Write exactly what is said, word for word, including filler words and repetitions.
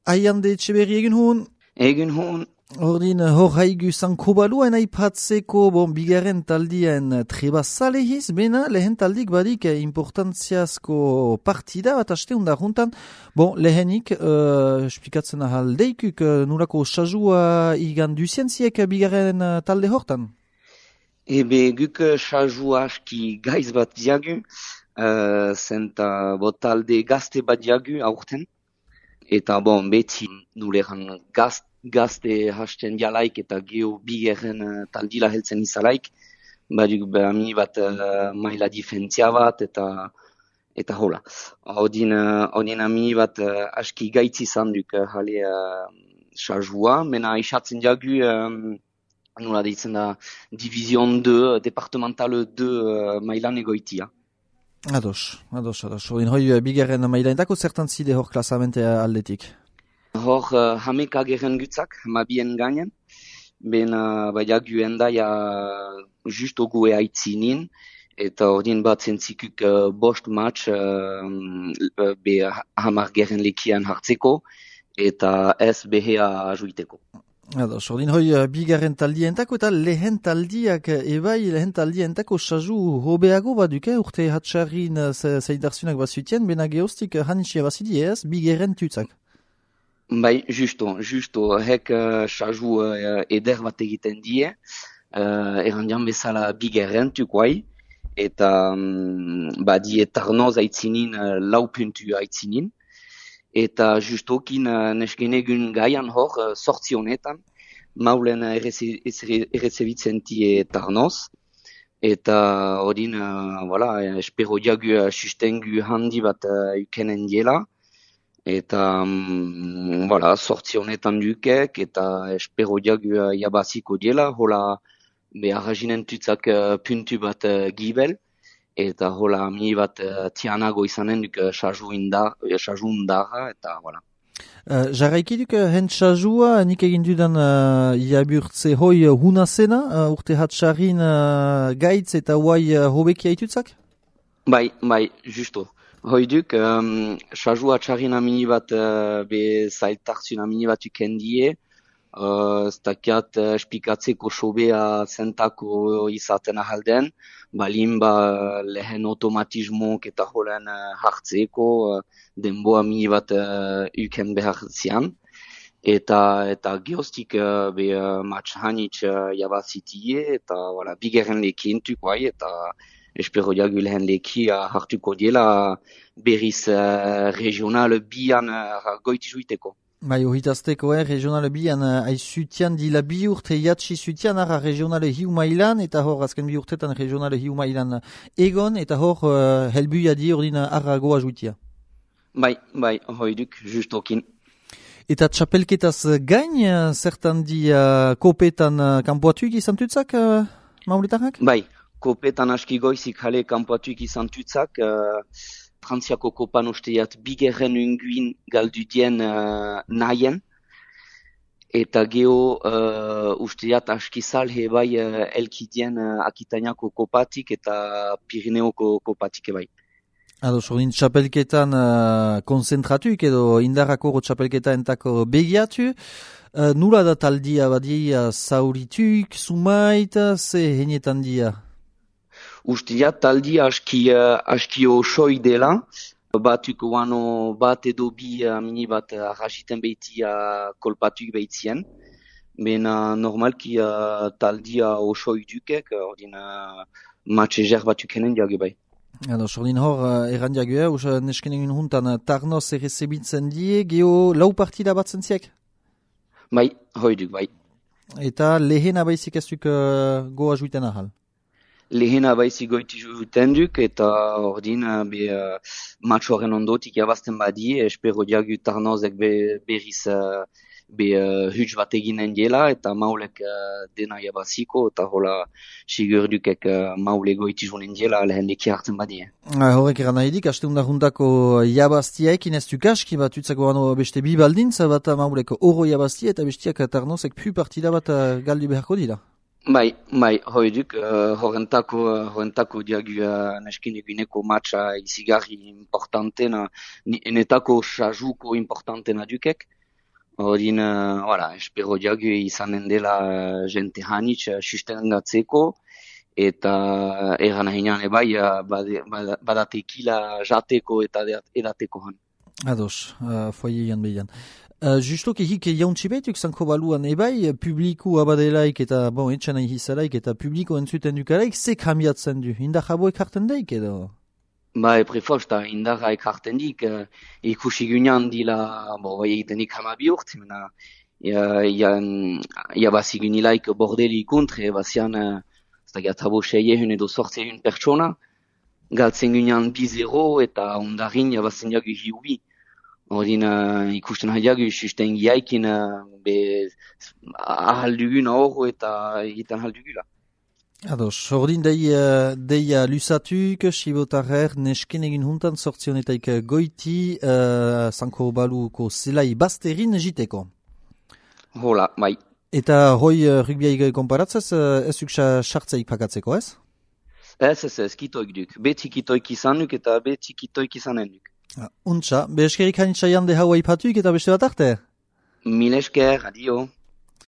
Aiande Etxeberri egin hon? Egin hon. Ordin hor haigu zanko baluan aipatzeko bon, bigarren taldien treba zalehiz, bena lehen taldik badik importantziazko partida bat asteunda juntan. Bon, lehenik, uh, espikatzen ahal deikuk, uh, nurako sajua igan duzientziek bigarren uh, talde hortan? Ebe guk sajua aski gaiz bat diagu, uh, zenta bo talde gazte bat diagu aurten. Eta bon, beti nuleran gazte gazte hasten dialaik eta geho bigerren uh, taldila heltzen izalaik, baduk behami bat uh, maila difentzia bat eta eta hola. Odin, uh, odin ami bat uh, aski gaitzi izan duk uh, jale uh, sajua, mena isatzen diagu um, nola deitzen da Division deux, Departemental deux uh, mailan egoitia. Ados, ados, ados. Odin hoi bigerren mailanetako zertan zide hor klasamente aldetik? Hor uh, hameka geren gutzak, hamabien gainen, ben uh, baina guen da ja justo gue aitzinin, eta ordin bat zentzikuk uh, bost match uh, be hamar geren lekian hartzeko, eta ez behea ajuiteko. Ados, ordin hoi uh, bigarren taldientako eta lehen taldiak ebai lehen taldientako saju hobeago baduke, urte hatxarrin uh, zeidarzunak bazutien, bena geostik uh, hanitxia bazidi ez, bigarren tutzak. Bai, justo, justo, hek uh, saju uh, eder bat egiten die, uh, errandian bezala bigerren tukoai, eta um, ba, die tarnoz aitzinin, uh, lau puntu aitzinin, eta justokin uh, nesgenegun gaian hor, uh, sortzi honetan, maulen errezebitzen die tarnoz, eta odin, uh, voilà, espero diagu uh, sustengu handi bat uh, ukenen diela, eta, um, voilà, sortzi honetan dukek, eta espero diagu uh, jabaziko diela, hola, behar jinen tutzak uh, puntu bat uh, gibel, eta hola, mi bat uh, tianago izanen duk uh, saju indar, saju indarra, eta, voilà. Uh, Jarraiki duk uh, hent sajua, nik egin dudan uh, jaburtze hoi uh, huna zena, uh, urte hatxarrin uh, gaitz eta huai uh, hobeki haitutzak? Bai, bai, justo. Hoiduk, um, sajua txarrin amini bat uh, be zailtartzun amini bat ukendie, uh, stakiat uh, espikatzeko sobea zentako izaten ahalden, balin ba lehen automatismok eta holen uh, hartzeko uh, denbo amini bat uh, uken behar zian. Eta, eta geostik uh, be uh, match hanitz uh, jabazitie, eta voilà, bigerren lekin tukoai, eta espero diagu lehen lekia hartuko diela berriz uh, regional bian uh, goiti juiteko. Bai, ohitazteko, eh, regional bian uh, aizutian dila bi urte jatsi zutian ara regional hiu mailan, eta hor azken bi urtetan regional hiu mailan egon, eta hor uh, helbuia di ordin ara goa juitia. Bai, bai, hoiduk, justokin. Eta txapelketaz gain, uh, zertan di uh, kopetan uh, kanpoatuik izan tutzak, uh, mauletarrak? Bai. Kopetan aski goizik jale kanpoatuik izan tutzak, uh, Frantziako kopan usteiat bigerren unguin galdu dien uh, nahien, eta geho uh, usteiat aski salhe bai uh, elkidien uh, Akitainako kopatik eta Pirineoko kopatik ebai. Ado, sordin txapelketan uh, konzentratuik edo indarrako txapelketa entako begiatu, uh, nula da taldia badia zaurituik, sumaita, ze henietan dia? Ustia taldi aski, uh, aski osoi dela, batuk wano bat edo bi uh, mini bat uh, arrasiten behiti uh, kolpatuk behitien, mena normalki uh, taldia osoi dukek, ordin uh, matxe jer batuk henen diagu bai. Ado, sordin hor, uh, erran diagu, eh, us nesken egin juntan uh, tarnoz errezebitzen die, geho lau partida bat zentziek? Bai, hoiduk bai. Eta lehen abaizik ez duk uh, goa juiten ahal? Lehena baizi goiti juten duk, eta ordin be uh, match horren ondotik jabazten badie, espero diagu tarnozek be, berriz uh, be uh, huts bat eginen diela, eta maulek uh, dena jabaziko, eta hola sigur dukek uh, maule goiti jonen diela lehen leki hartzen badie. Ah, horrek eran nahidik, haste undahundako jabaztiaekin ez duk aski bat utzako ano beste bi baldintza bat maulek oro jabaztia, eta bestiak tarnozek pu partida bat uh, galdu beharko dira. Bai, bai, hoiduk, uh, horrentako, uh, horrentako diagu uh, neskin eguneko matcha izigarri importantena, enetako sajuko importantena dukek, Horin, uh, voilà, espero diagu izanen dela uh, jente hanitz uh, sustengatzeko, eta egan ahinean ebai uh, bade, bada- badatekila jateko eta de- edateko han. Ados, uh, foiean behian. Uh, Justok ehik jauntzi behituk zanko baluan ebai, publiku abadelaik eta, bon, etxan ahizalaik eta publiko entzuten dukaraik, ze kambiatzen du? Inda jaboek hartzen daik edo? Ba, eprefosta, indarra ekarten dik, uh, ikusi gunean dila, bo, bai egitenik hamabi urt, mena, ja, ja, ja bazi gunilaik bordeli ikuntre, bazian, uh, ez da gatabo seiehun edo sortzehun pertsona, galtzen gunean bi zero eta ondarin jabazen jagu hiubi. Horin uh, ikusten hadiagu susten giaikin uh, be ahal dugun ahorro eta egiten ahal dugula. Ados, ordin dei, uh, deia lusatuk, sibotarrer, nesken egin huntan sortzionetaik goiti, uh, zanko baluko zelai bazterin jiteko. Hola, bai. Eta hoi uh, rugbiaik konparatzez, uh, ez uksa sartzeik pakatzeko, ez? Ez, ez, ez, kitoik duk. Beti kitoik izan duk eta beti kitoik izanen duk. Ah, untxa, be eskerik hainitza jande haua ipatuik eta beste bat arte? Mil esker, adio.